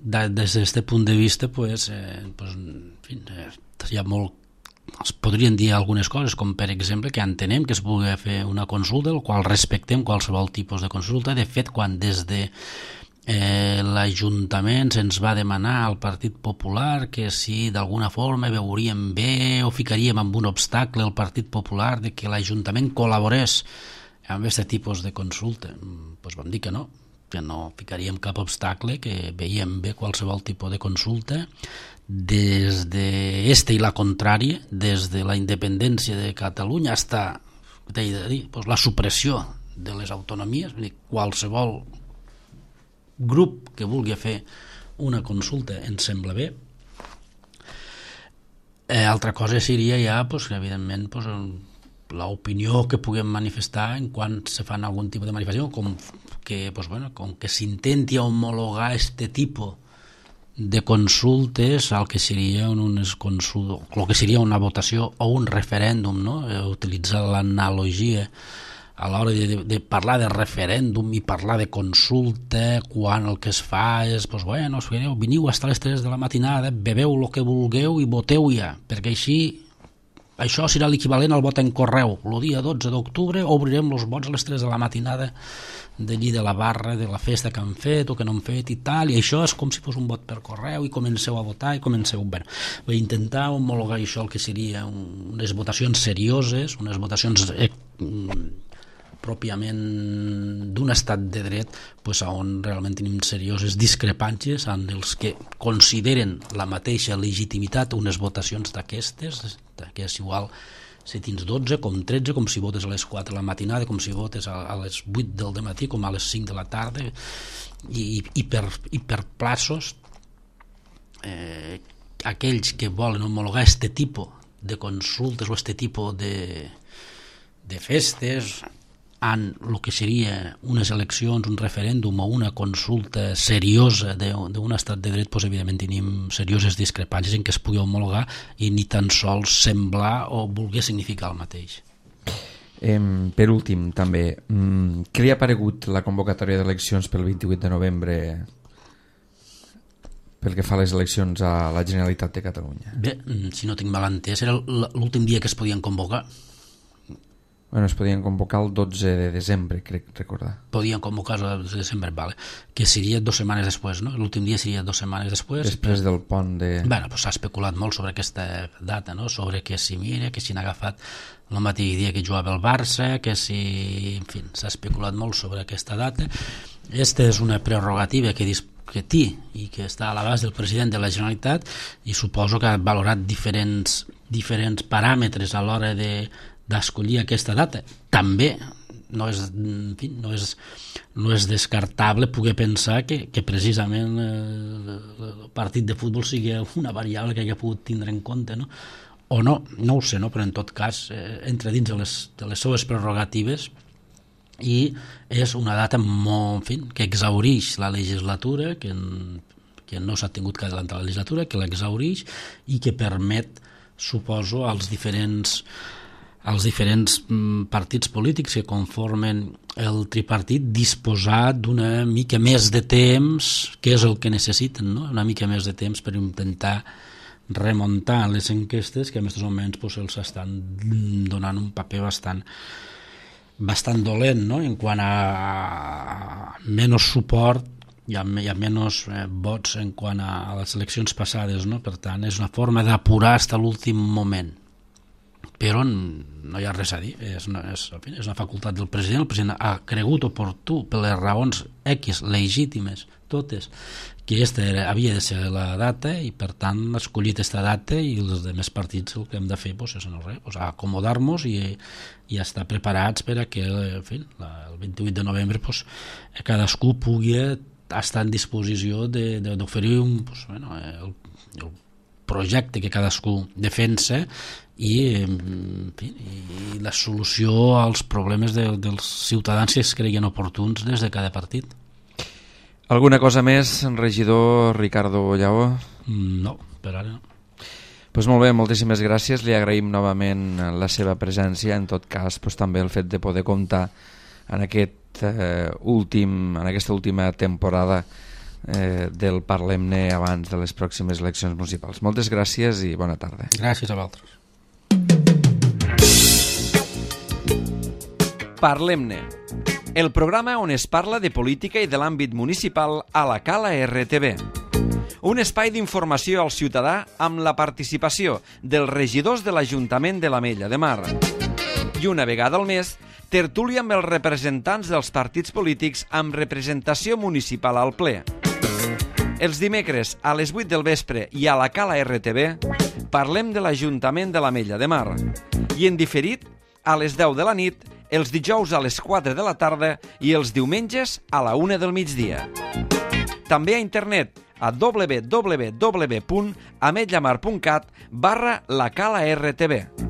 Speaker 2: de, des d'aquest punt de vista pues, eh, pues, en fi, eh, hi ha molt es podrien dir algunes coses com per exemple que entenem que es pugui fer una consulta el qual respectem qualsevol tipus de consulta. De fet, quan des de Eh, l'Ajuntament se'ns va demanar al Partit Popular que si d'alguna forma veuríem bé o ficaríem amb un obstacle al Partit Popular de que l'Ajuntament col·laborés amb aquest tipus de consulta, doncs vam dir que no, que no ficaríem cap obstacle, que veiem bé qualsevol tipus de consulta des de este i la contrària, des de la independència de Catalunya fins a la supressió de les autonomies. Vull dir, qualsevol grup que vulgui fer una consulta ens sembla bé. Eh, altra cosa seria ja pues, evidentment pues, l'opinió que puguem manifestar en quan se fan algun tipus de manifestació com que, pues, bueno, com que s'intenti homologar este tipus de consultes al que seria unes consultes, el que seria una votació o un referèndum, no? Eh, utilitzar l'analogia a l'hora de, de, de parlar de referèndum i parlar de consulta, quan el que es fa és, doncs, bueno, veniu fins a les tres de la matinada, beveu el que vulgueu i voteu ja, perquè així això serà l'equivalent al vot en correu. El dia dotze d'octubre obrirem els vots a les tres de la matinada d'allí de la barra, de la festa que han fet o que no han fet i tal, i això és com si fos un vot per correu i comenceu a votar i comenceu... Bueno, intentar homologar això el que seria unes votacions serioses, unes votacions... Eh, pròpiament d'un estat de dret pues, on realment tenim serioses discrepàncies en els que consideren la mateixa legitimitat unes votacions d'aquestes, que és igual si tens dotze com tretze, com si votes a les quatre de la matinada, com si votes a, a les vuit del dematí, com a les cinc de la tarda, i, i, per, i per plaços eh, aquells que volen homologar este tipus de consultes o este tipus de, de festes en el que seria unes eleccions, un referèndum o una consulta seriosa d'un estat de dret, doncs, evidentment tenim serioses discrepàncies en què es pugui homologar i ni tan sols semblar o voler significar el mateix.
Speaker 1: Eh, per últim, també, què li ha paregut la convocatòria d'eleccions pel vint-i-vuit de novembre pel que fa a les eleccions a la Generalitat de Catalunya?
Speaker 2: Bé, si no tinc mal entès, era l'últim dia que es podien convocar.
Speaker 1: Bueno, es podien convocar el dotze de desembre, crec recordar.
Speaker 2: Podien convocar el dotze de desembre, vale. Que seria dues setmanes després, no? L'últim dia seria dues setmanes després.
Speaker 1: Després del pont de...
Speaker 2: Bueno, pues s'ha especulat molt sobre aquesta data, no? Sobre que si mira, que si n'ha agafat el mateix dia que jugava el Barça, que si... En fi, s'ha especulat molt sobre aquesta data. Aquesta és una prerrogativa que, que té i que està a l'abast del president de la Generalitat i suposo que ha valorat diferents, diferents paràmetres a l'hora de d'escollir aquesta data. També no és, en fi, no és, no és descartable poder pensar que, que precisament eh, el partit de futbol sigui una variable que hagi pogut tindre en compte, no? O no, no ho sé, no? Però en tot cas eh, entra dins de les, de les seues prerrogatives i és una data molt, en fi, que exhaurix la legislatura, que, en, que no s'ha tingut que adelantar la legislatura, que l'exhaurix i que permet, suposo, als diferents als diferents partits polítics que conformen el tripartit disposar d'una mica més de temps, que és el que necessiten, no? Una mica més de temps per intentar remuntar les enquestes que en aquests moments pues, els estan donant un paper bastant bastant dolent, no? En quant a menys suport hi ha, hi ha menys eh, vots en quant a, a les eleccions passades, no? Per tant, és una forma d'apurar fins a l'últim moment. Però no hi ha res a dir, és una, és, en fi, és una facultat del president. El president ha cregut oportú, per les raons X legítimes, totes, que aquesta era, havia de ser la data i per tant ha escollit aquesta data i els altres partits el que hem de fer pues, és no res, pues, acomodar-nos i, i estar preparats per a que en fi, la, el vint-i-vuit de novembre pues, cadascú pugui estar en disposició d'oferir un, pues, bueno, el, el projecte que cadascú defensa i, en fi, i la solució als problemes de, dels ciutadans que es creguin oportuns des de cada partit.
Speaker 1: Alguna cosa més, regidor Ricardo Lleó?
Speaker 2: No, per ara no.
Speaker 1: Pues molt bé, moltíssimes gràcies. Li agraïm novament la seva presència. En tot cas, pues, també el fet de poder comptar en, aquest, eh, últim, en aquesta última temporada eh, del Parlem-ne abans de les pròximes eleccions municipals. Moltes gràcies i bona tarda.
Speaker 2: Gràcies a vosaltres.
Speaker 1: Parlem-ne, el programa on es parla de política i de l'àmbit municipal a la Cala R T V. Un espai d'informació al ciutadà amb la participació dels regidors de l'Ajuntament de l'Ametlla de Mar. I una vegada al mes, tertúlia amb els representants dels partits polítics amb representació municipal al ple. Els dimecres a les vuit del vespre i a la Cala R T V parlem de l'Ajuntament de l'Ametlla de Mar i en diferit a les deu de la nit, els dijous a les quatre de la tarda i els diumenges a la una del migdia. També a internet a w w w punt ametlamar punt cat barra la cala R T V.